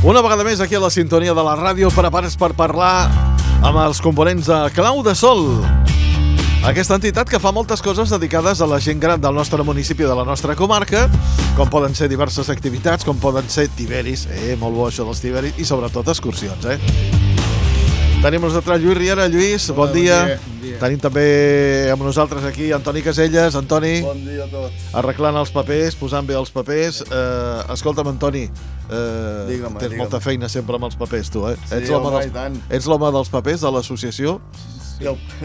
Una vegada més aquí a la sintonia de la ràdio, preparats per parlar amb els components de Clau de Sol. Aquesta entitat que fa moltes coses dedicades a la gent gran del nostre municipi, de la nostra comarca, com poden ser diverses activitats, com poden ser tiberis, molt bo això dels tiberis, i sobretot excursions, Tenim nosaltres Lluís Riera. Lluís, bon dia. Bon dia. Tenim també amb nosaltres aquí Antoni Caselles. Antoni. Bon dia a tots. Arreglant els papers, posant bé els papers. Escolta'm, Antoni, tens molta feina sempre amb els papers, tu, Sí, ets l'home dels papers de l'associació?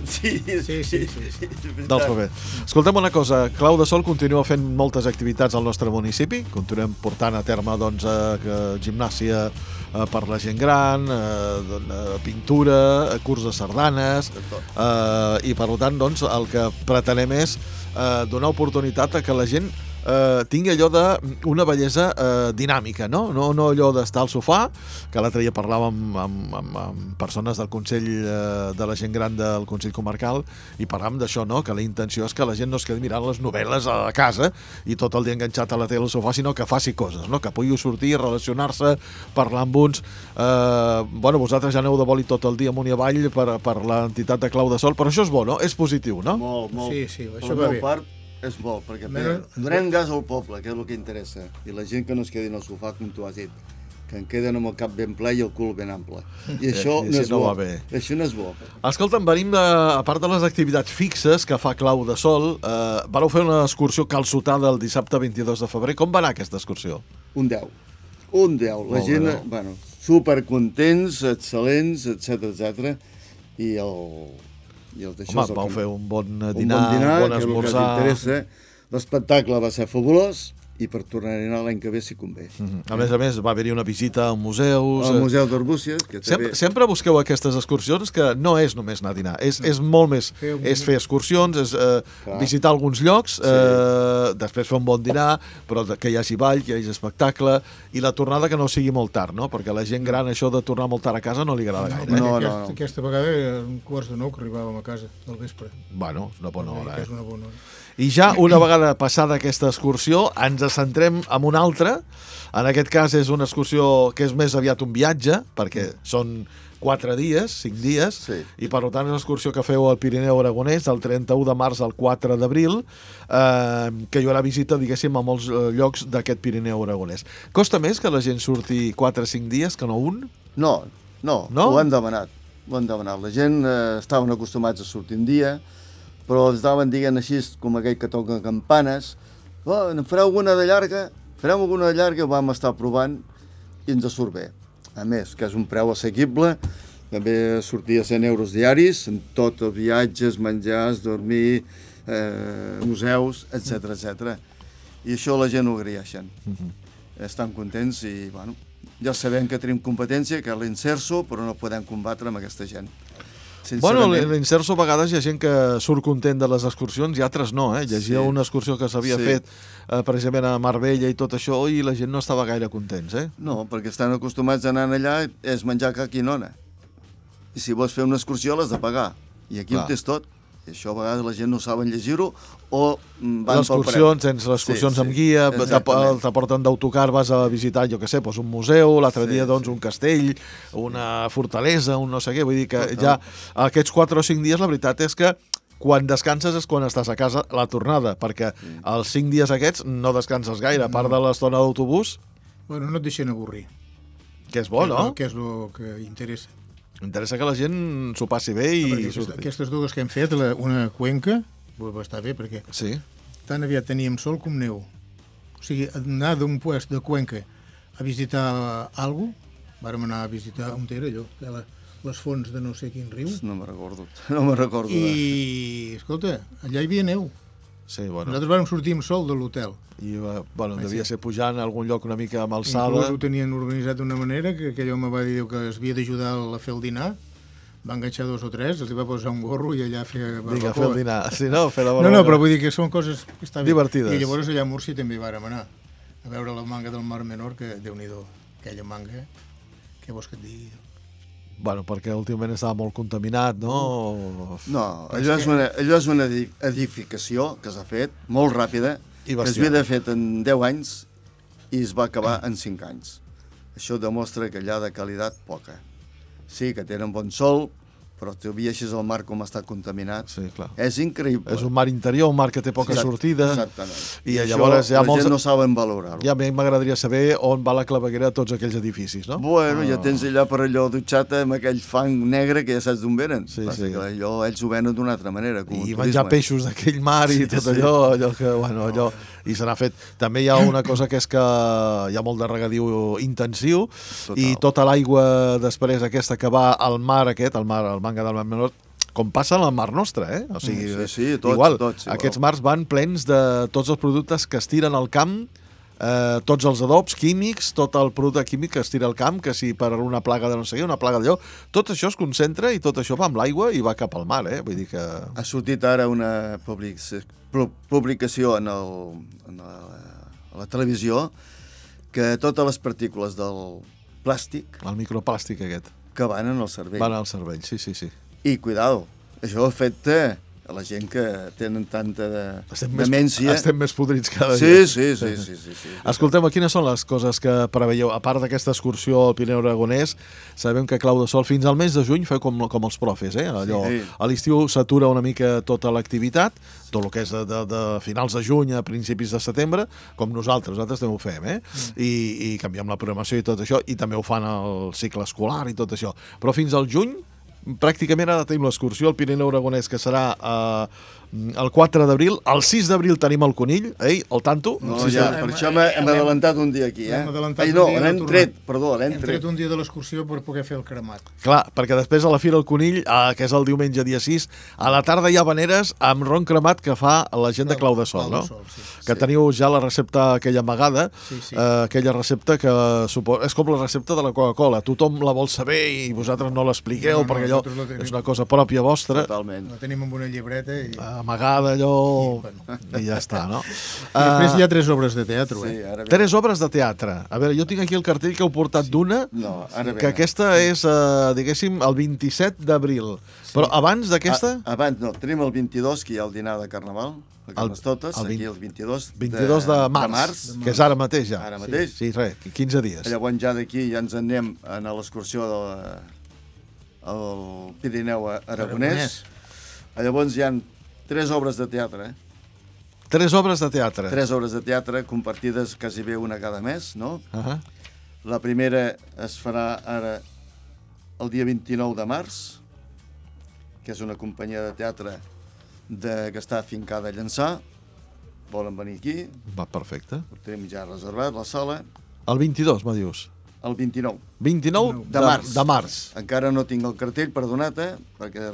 Sí. Dels papers. Escolta'm una cosa, Clau de Sol continua fent moltes activitats al nostre municipi, continuem portant a terme gimnàsia per la gent gran, pintura, curs de sardanes, i per tant el que pretenem és donar oportunitat a que la gent tingui allò d'una bellesa dinàmica, no allò d'estar al sofà, que l'altre dia parlàvem amb persones del Consell de la gent gran del Consell Comarcal i parlàvem d'això, que la intenció és que la gent no es quedi mirant les novel·les a casa i tot el dia enganxat a la tele al sofà, sinó que faci coses, que pugui sortir, relacionar-se, parlar amb uns. Vosaltres ja aneu de boli tot el dia amunt i avall per l'entitat de Clau de Sol, però això és bo, no? És positiu, no? Molt. Sí, això va bé. És bo, perquè donem gas al poble, que és el que interessa, i la gent que no es quedi en el sofà, com tu has dit, que en queden amb el cap ben ple i el cul ben ample. I això no és bo. Això no és bo. Escolta'm, venim a part de les activitats fixes que fa Clau de Sol, vareu fer una excursió calçotada el dissabte 22 de febrer. Com va anar aquesta excursió? Un 10. La gent, supercontents, excel·lents, etc. I vau fer un bon dinar, un bon esmorzar. L'espectacle va ser fabulós i per tornar a anar l'any que ve si convé. A més, va haver-hi una visita a museus. Al Museu d'Arbúcies. Sempre busqueu aquestes excursions que no és només anar a dinar, és molt més. És fer excursions, és visitar alguns llocs, després fer un bon dinar, però que hi hagi ball, que hi hagi espectacle, i la tornada que no sigui molt tard, no? Perquè a la gent gran això de tornar molt tard a casa no li agrada gaire. No. Aquesta vegada era un quarts de 9 que arribàvem a casa del vespre. Bueno, és una bona hora. És una bona hora. I ja una vegada passada aquesta excursió ens centrem en una altra. En aquest cas és una excursió que és més aviat un viatge, perquè són 4 dies, 5 dies, i per tant és una excursió que feu al Pirineu Aragonès del 31 de març al 4 d'abril, que hi haurà visita, diguéssim, a molts llocs d'aquest Pirineu Aragonès. Costa més que la gent surti 4 o 5 dies que no un? No, ho han demanat. La gent estaven acostumats a sortir un dia, però ens estaven dient així, com aquell que toca campanes, en fareu alguna de llarga, ho vam estar provant i ens surt bé. A més, que és un preu assequible, també sortia 100 euros diaris, en tot els viatges, menjars, dormir, museus, etc. I això la gent ho agraeixen. Estan contents i, ja sabem que tenim competència, que és l'Inserso, però no podem combatre amb aquesta gent. L'Inserso a vegades hi ha gent que surt content de les excursions i altres no, Llegia una excursió que s'havia fet precisament a Marbella i tot això i la gent no estava gaire contents, No, perquè estan acostumats a anar allà és menjar ca quinona. I si vols fer una excursió l'has de pagar. I aquí ho tens tot. I això a vegades la gent no saben llegir-ho o van pel preu. Tens les excursions amb guia, t'aporten d'autocar, vas a visitar, jo què sé, un museu, l'altre dia un castell, una fortalesa, un no sé què, vull dir que ja aquests 4 o 5 dies la veritat és que quan descanses és quan estàs a casa la tornada, perquè els 5 dies aquests no descanses gaire, a part de l'estona d'autobús. Bueno, no et deixen avorrir. Que és bo, no? Que és el que interessa. Interessa que la gent s'ho passi bé i surti. Aquestes dues que hem fet, una cuenca, va estar bé perquè tan aviat teníem sol com neu. O sigui, anar d'un puest de Cuenca a visitar alguna cosa, vàrem anar a visitar on era allò, les fonts de no sé quin riu. No me'n recordo. I, escolta, allà hi havia neu. Nosaltres vàrem sortir amb sol de l'hotel. I, devia ser pujant a algun lloc una mica amb alçada. Inclús ho tenien organitzat d'una manera que aquell home va dir que es havia d'ajudar a fer el dinar. Va enganxar 2 o 3, els va posar un gorro i allà fer barbacoa. Fer el dinar. Sí, no? Fer la barbacoa. No, però vull dir que són coses que estan divertides. I llavors allà a Múrcia també vàrem anar a veure la manga del Mar Menor, que Déu-n'hi-do, aquella manga, què vols que et digui? Perquè últimament estava molt contaminat, no? No, allò és una edificació que s'ha fet molt ràpida, que es havia fet en 10 anys i es va acabar en 5 anys. això demostra que allà de qualitat poca. Sí, que tenen bon sol, però tu veies el mar com està contaminat. Sí, clar. És increïble. És un mar interior, un mar que té poca sortida. Exactament. I llavors la gent no saben valorar-ho. Ja a mi m'agradaria saber on va la claveguera de tots aquells edificis, no? Bueno, ja tens allà per allò dutxat amb aquell fang negre que ja saps d'on venen. Sí. Allò ells ho venen d'una altra manera. Com I menjar peixos d'aquell mar i tot allò que, bueno, allò... I se n'ha fet. També hi ha una cosa que és que hi ha molt de regadiu intensiu. Total. I tota l'aigua després aquesta que va al mar aquest, al manga del Mar Menor, com passa al Mar Nostre, eh? O sigui, tots. Aquests mars van plens de tots els productes que es tiren al camp, tots els adobs químics, tot el producte químic que es tira al camp, que si per una plaga de no sé què, una plaga d'allò, tot això es concentra i tot això va amb l'aigua i va cap al mar, eh? Vull dir que... Ha sortit ara una publicació a la televisió que totes les partícules del plàstic... El microplàstic aquest. Que van en el cervell. Van al cervell, sí. I, cuidado, això afecta a la gent que tenen tanta demència. Estem més podrits cada dia. Sí. Escolteu, quines són les coses que preveieu? A part d'aquesta excursió al Pirineu Aragonès, sabem que Clau de Sol fins al mes de juny feu com els profes, eh? Allò, a l'estiu s'atura una mica tota l'activitat, tot el que és de finals de juny a principis de setembre, com nosaltres també ho fem, eh? I canviem la programació i tot això, i també ho fan el cicle escolar i tot això. Però fins al juny pràcticament ara tenim l'excursió al Pirineu Aragonès, que serà el 4 d'abril. El 6 d'abril tenim el Conill, el tanto. No, ja, per això hem adelantat un dia aquí, l'hem tret un dia de l'excursió per poder fer el cremat. Clar, perquè després a la Fira del Conill, que és el diumenge dia 6, a la tarda hi ha veneres amb ron cremat que fa la gent de Clau de Sol, no? Que teniu ja la recepta aquella amagada, aquella recepta que és com la recepta de la Coca-Cola. Tothom la vol saber i vosaltres no l'expliqueu, perquè allò és una cosa pròpia vostra. Totalment. La tenim amb una llibreta i... amagada allò i ja està, no? Després hi ha 3 obres de teatre, eh? 3 obres de teatre. A veure, jo tinc aquí el cartell que heu portat d'una, que aquesta és, diguéssim, el 27 d'abril. Però abans d'aquesta... Abans no, tenim el 22, que hi ha el dinar de Carnaval, a Carnestoltes, aquí el 22 de març, que és ara mateix ja. Ara mateix. Sí, res, 15 dies. Llavors ja d'aquí ja ens anem a l'excursió al Pirineu Aragonès. Llavors hi ha 3 obres de teatre, 3 obres de teatre. 3 obres de teatre compartides quasi bé una cada mes, no? La primera es farà ara el dia 29 de març, que és una companyia de teatre que està afincada a Llançà. Volen venir aquí. Va, perfecte. Ho tenim ja reservat, la sala. El 22, me dius? El 29. 29 de març. Encara no tinc el cartell, perdonat, perquè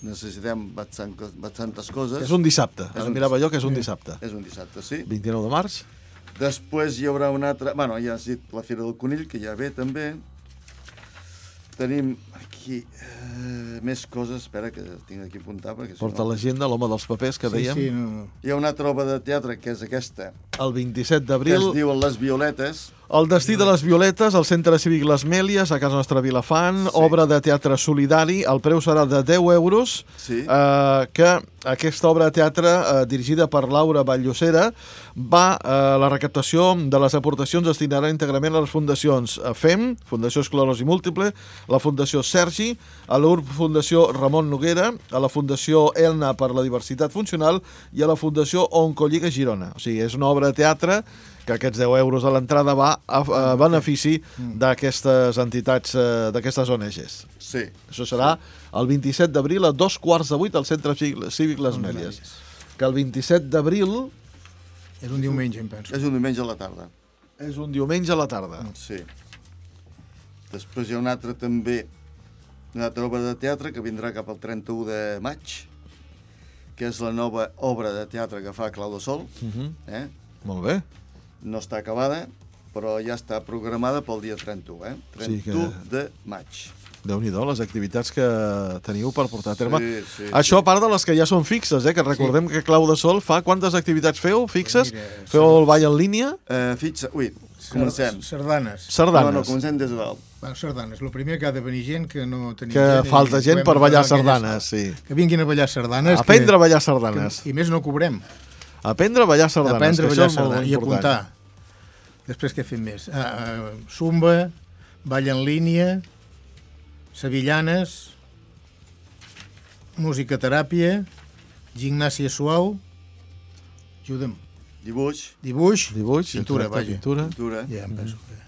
necessitem bastantes coses. És un dissabte. Mirava jo que és un dissabte. És un dissabte, sí. 29 de març. Després hi haurà una altra... Bueno, ja has dit la Fira del Conill, que ja ve també. Tenim aquí més coses. Espera, que tinc aquí apuntar. Porta l'agenda, l'home dels papers, que dèiem. Hi ha una altra obra de teatre, que és aquesta. El 27 d'abril. Que es diu Les Violetes. El destí de les violetes, al Centre Cívic Les Mèlies, a casa nostra Vilafant, obra de teatre solidari, el preu serà de 10 euros, que aquesta obra de teatre, dirigida per Laura Batllocera, la recaptació de les aportacions destinarà íntegrament a les fundacions FEM, Fundació Esclerosi Múltiple, la Fundació Sergi, a l'URB Fundació Ramon Noguera, a la Fundació ELNA per la Diversitat Funcional i a la Fundació Oncolliga Girona. O sigui, és una obra de teatre que aquests 10 euros a l'entrada va a benefici d'aquestes entitats, d'aquestes ONGs. Sí. Això serà el 27 d'abril a 7:15 al Centre Cívic Les Mèlies. Que el 27 d'abril... És un diumenge, em penso. És un diumenge a la tarda. És un diumenge a la tarda. Sí. Després hi ha una altra també, una altra obra de teatre que vindrà cap al 31 de maig, que és la nova obra de teatre que fa Clau de Sol. Molt bé. No està acabada, però ja està programada pel dia 31, 31 de maig. Déu-n'hi-do, les activitats que teniu per portar a terme. Això a part de les que ja són fixes, que recordem que Clau de Sol fa... Quantes activitats feu, fixes? Feu el ball en línia? Comencem. Sardanes. No, comencem des de dalt. Sardanes. El primer que ha de venir gent que no tenim gent. Que falta gent per ballar sardanes, sí. Que vinguin a ballar sardanes. Aprendre a ballar sardanes. I més no cobrem. Aprendre a ballar sardanes. Aprendre a ballar sardanes i apuntar. Després què fem més? Zumba, ball en línia, sevillanes, musicoteràpia, gimnàsia suau, ajuda'm. Dibuix, pintura, vaja. Pintura. Ja em penso que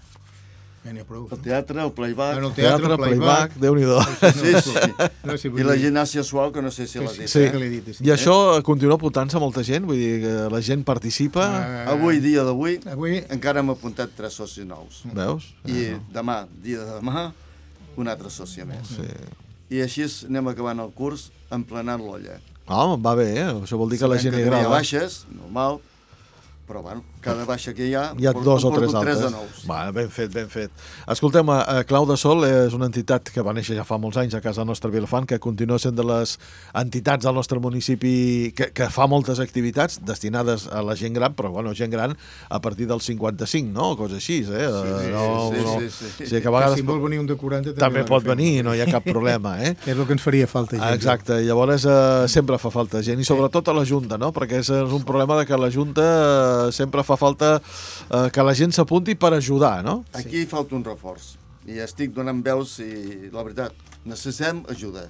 ja n'hi ha prou. El teatre, el playback. El teatre, playback, Déu-n'hi-do. Sí. I la gimnàsia suau, que no sé si l'ha dit. Sí, que l'he dit. I això continua apuntant-se molta gent? Vull dir que la gent participa? Avui, dia d'avui, encara hem apuntat 3 socis nous. Veus? I demà, dia de demà, un altre soci més. Sí. I així anem acabant el curs emplenant l'olla. Va bé, Això vol dir que la gent li agrada. Hi ha baixes, normal, però bueno, cada baixa que hi ha 2 o 3 altres. 3 de nous. Ben fet. Escoltem, Clau de Sol és una entitat que va néixer ja fa molts anys a casa nostra Vilafant, que continua sent de les entitats del nostre municipi que fa moltes activitats destinades a la gent gran, però gent gran a partir dels 55, no? Cosa així, Sí. O sigui que a vegades... Si vol venir un de 40 també pot venir, no hi ha cap problema, Que és el que ens faria falta gent. Exacte, llavors sempre fa falta gent, i sobretot a la Junta, no? Perquè és un problema de que la Junta sempre fa falta que la gent s'apunti per ajudar, no? Aquí falta un reforç. I estic donant veus i, la veritat, necessitem ajuda.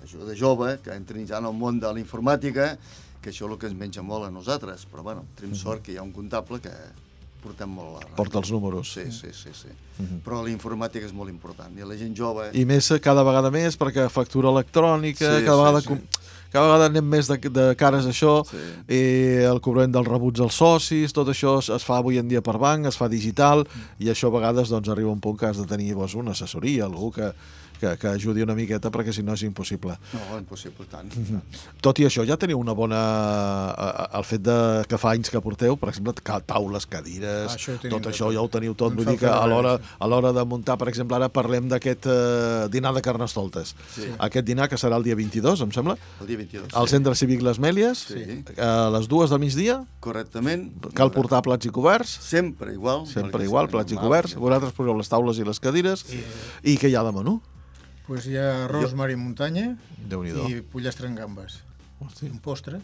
Ajuda jove, que entrin ja en el món de la informàtica, que això és el que ens menja molt a nosaltres. Però, bueno, tenim sort que hi ha un comptable que portem molt a la... Porta els números. Sí. Però la informàtica és molt important. I la gent jove... I més cada vegada més, perquè factura electrònica, cada vegada anem més de cares a això, i el cobrament dels rebuts als socis, tot això es fa avui en dia per banc, es fa digital, i això a vegades arriba un punt que has de tenir una assessoria, algú que ajudi una miqueta, perquè si no és impossible. No, impossible, tant. Tot i això, ja teniu una bona... El fet que fa anys que porteu, per exemple, taules, cadires, tot això ja ho teniu tot. Vull dir que a l'hora de muntar, per exemple, ara parlem d'aquest dinar de Carnestoltes. Aquest dinar que serà el dia 22, em sembla? El dia 22. Al Centre Cívic Les Mèlies, a les 2 del migdia. Correctament. Cal portar plats i coberts. Sempre igual, plats i coberts. Vosaltres poseu les taules i les cadires. I què hi ha de menú? Pues hi ha arròs, mar i muntanya i pollastre amb gambes. Un postre.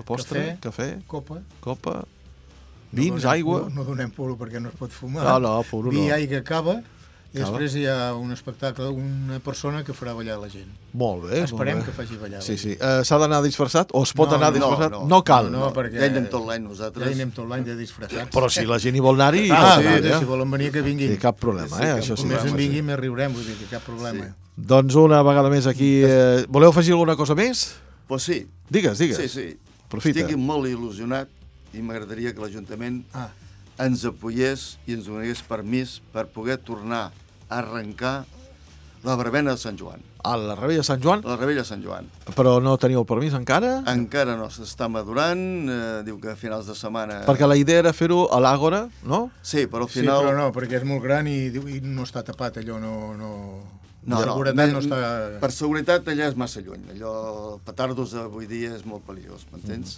Postre, cafè, copa, vins, aigua... No donem puro perquè no es pot fumar. Puro no. Vi, aigua, cava, i després hi ha un espectacle, una persona que farà ballar la gent. Molt bé. Esperem que faci ballar la gent. Sí. S'ha d'anar disfressat? O es pot anar disfressat? No cal. No, perquè... Ja hi anem tot l'any nosaltres. Ja hi anem tot l'any de disfressats. Però si la gent hi vol anar-hi... Si volen venir, que vinguin. Sí, cap problema, això sí. Com més en vinguin, més riurem, vull dir que cap problema. Doncs una vegada més aquí... Voleu afegir alguna cosa més? Pues sí. Digues. Sí. Profita. Estic molt il·lusionat i m'agradaria que l'Ajuntament ens apoyés i ens donés permís per poder tornar a arrencar la verbena de Sant Joan. La Rebella de Sant Joan? La Rebella de Sant Joan. Però no teniu el permís encara? Encara no, s'està madurant, diu que a finals de setmana... Perquè la idea era fer-ho a l'Àgora, no? Sí, però al final... Sí, però no, perquè és molt gran i no està tapat, allò per seguretat allà és massa lluny. Allò, petardos avui dia és molt perillós, m'entens?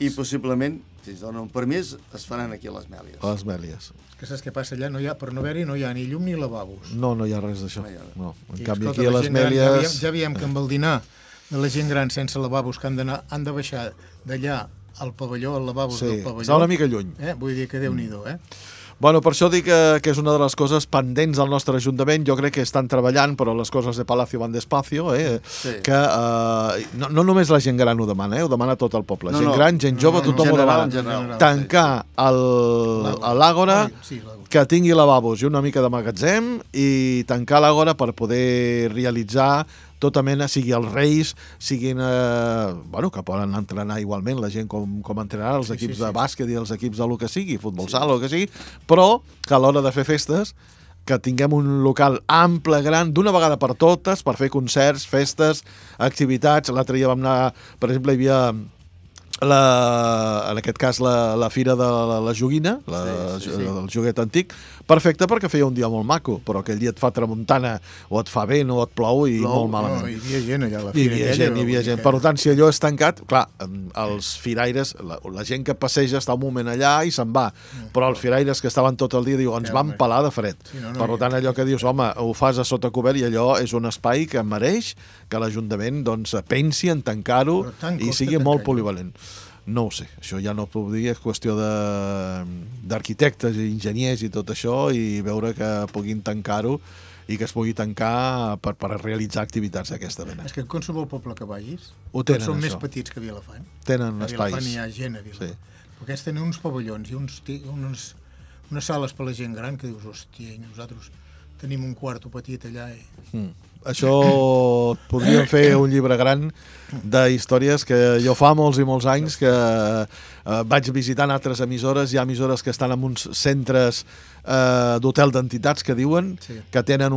I possiblement, si es dona un permís, es faran aquí a les Mèlies. A les Mèlies. Que saps què passa allà? Per no haver-hi no hi ha ni llum ni lavabos. No hi ha res d'això. No. En canvi, aquí a les Mèlies... Ja veiem que amb el dinar de la gent gran sense lavabos, que han de baixar d'allà al pavelló, al lavabos del pavelló... Està una mica lluny. Vull dir que Déu-n'hi-do, Bueno, per això dic que és una de les coses pendents del nostre Ajuntament. Jo crec que estan treballant, però les coses de Palacio van despacio, que no només la gent gran ho demana, ho demana tot el poble. Gent gran, gent jove, tothom ho demana. Tancar l'Àgora, que tingui lavabos i una mica de magatzem, i tancar l'Àgora per poder realitzar tota mena, sigui els Reis, siguin, que poden entrenar igualment la gent com entrenar els equips de bàsquet i els equips del que sigui, futbol sala o el que sigui, però que a l'hora de fer festes que tinguem un local ample, gran, d'una vegada per totes, per fer concerts, festes, activitats. L'altre dia vam anar, per exemple, hi havia... en aquest cas la fira de la joguina, del joguet antic, perfecte perquè feia un dia molt maco, però aquell dia et fa tramuntana o et fa vent o et plou i molt malament. Hi havia gent allà a la fira. Hi havia gent. Per tant, si allò és tancat, clar, els firaires, la gent que passeja està un moment allà i se'n va, però els firaires que estaven tot el dia diu, ens van pelar de fred. Per tant, allò que dius, home, ho fas a sota cobert i allò és un espai que mereix que l'Ajuntament pensi en tancar-ho i sigui molt polivalent. no ho sé, això ja no puc dir, és qüestió d'arquitectes i enginyers i tot això, i veure que puguin tancar-ho i que es pugui tancar per realitzar activitats d'aquesta mena. És que en qualsevol poble que vagis, són més petits que Vilafant. Tenen espais. A Vilafant hi ha gent a Vilafant. Sí. Però aquests tenen uns pavellons i unes sales per la gent gran que dius, hòstia, nosaltres tenim un quarto petit allà. Això podríem fer un llibre gran d'històries que jo fa molts i molts anys que vaig visitant altres emissores. Hi ha emissores que estan en uns centres d'hotel d'entitats que diuen que tenen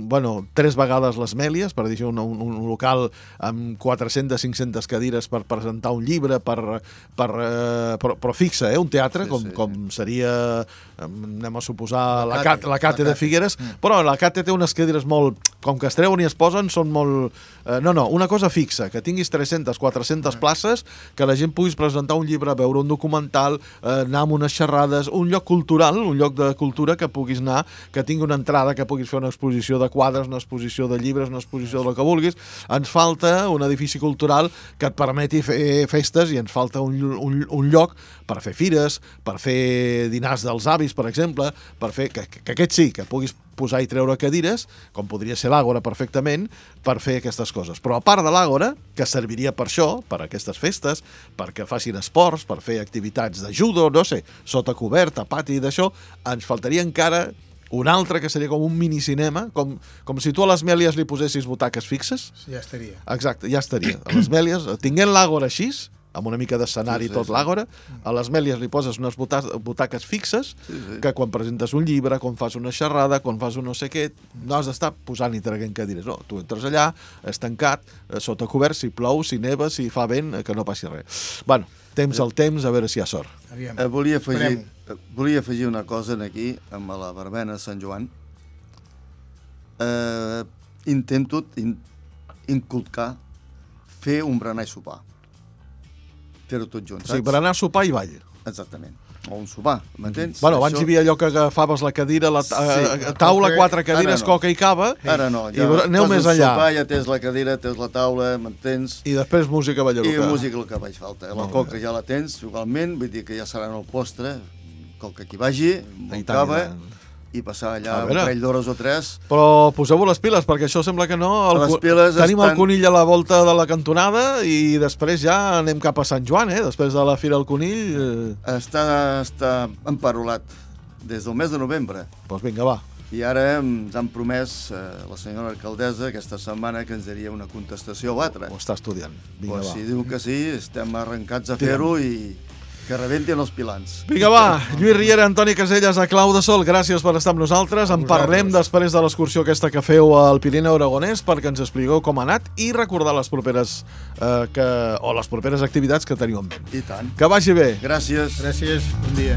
3 vegades les Mèlies, per dir un local amb 400-500 cadires per presentar un llibre, però fixa, un teatre, com seria, anem a suposar, la Cate de Figueres, però la Cate té unes cadires molt, com que es treuen i es posen, són molt... una cosa fixa, que tinguis 300-400 places, que la gent puguis presentar un llibre, veure un documental, anar a unes xerrades, un lloc cultural, un lloc de cultura que puguis anar, que tingui una entrada, que puguis fer una exposició de quadres, una exposició de llibres, una exposició del que vulguis. Ens falta un edifici cultural que et permeti fer festes i ens falta un lloc per fer fires, per fer dinars dels avis, per exemple, per fer que aquest sí, que puguis posar i treure cadires, com podria ser l'Àgora perfectament, per fer aquestes coses. Però a part de l'Àgora, que serviria per això, per aquestes festes, perquè facin esports, per fer activitats de judo, no sé, sota coberta, pati d'això, ens faltaria encara un altre que seria com un minicinema, com si tu a les Mèlies li posessis butaques fixes. Ja estaria. Exacte, ja estaria. A les Mèlies, tinguent l'Àgora així, amb una mica d'escenari tot l'Àgora, a les Mèlies li poses unes butaques fixes, que quan presentes un llibre, quan fas una xerrada, quan fas un no sé què, no has d'estar posant i traient cadires. No, tu entres allà, és tancat, sota cobert, si plou, si neva, si fa vent, que no passi res. Bueno, temps al temps, a veure si hi ha sort. Volia afegir una cosa aquí, amb la verbena de Sant Joan. Intento inculcar fer un berenar i sopar. Fer-ho tot junt, saps? Sí, berenar, sopar i ball. Exactament. O un sopar, m'entens? Bueno, abans hi havia allò que agafaves la cadira, la taula, 4 cadires, coca i cava. Ara no, ja aneu més enllà. Sopar, ja tens la cadira, tens la taula, m'entens? I després música ballaruca. I música el que vaig falta. La coca ja la tens, igualment, vull dir que ja serà en el postre, coca que hi vagi, bon cava, i passar allà un parell d'hores o 3. Però poseu-vos les piles, perquè això sembla que no. Tenim el conill a la volta de la cantonada i després ja anem cap a Sant Joan, després de la Fira del Conill. Està emparolat des del mes de novembre. Doncs vinga, va. I ara ens han promès la senyora alcaldessa aquesta setmana que ens daria una contestació o altra. Ho està estudiant. Vinga, va. Si diu que sí, estem arrencats a fer-ho i que rebentin els pilans. Vinga, va. Lluís Riera, Antoni Caselles, a Clau de Sol, gràcies per estar amb nosaltres. En parlem després de l'excursió aquesta que feu al Pirineu Aragonès perquè ens expliqueu com ha anat i recordar les properes les properes activitats que teniu en ment. I tant. Que vagi bé. Gràcies. Gràcies. Bon dia.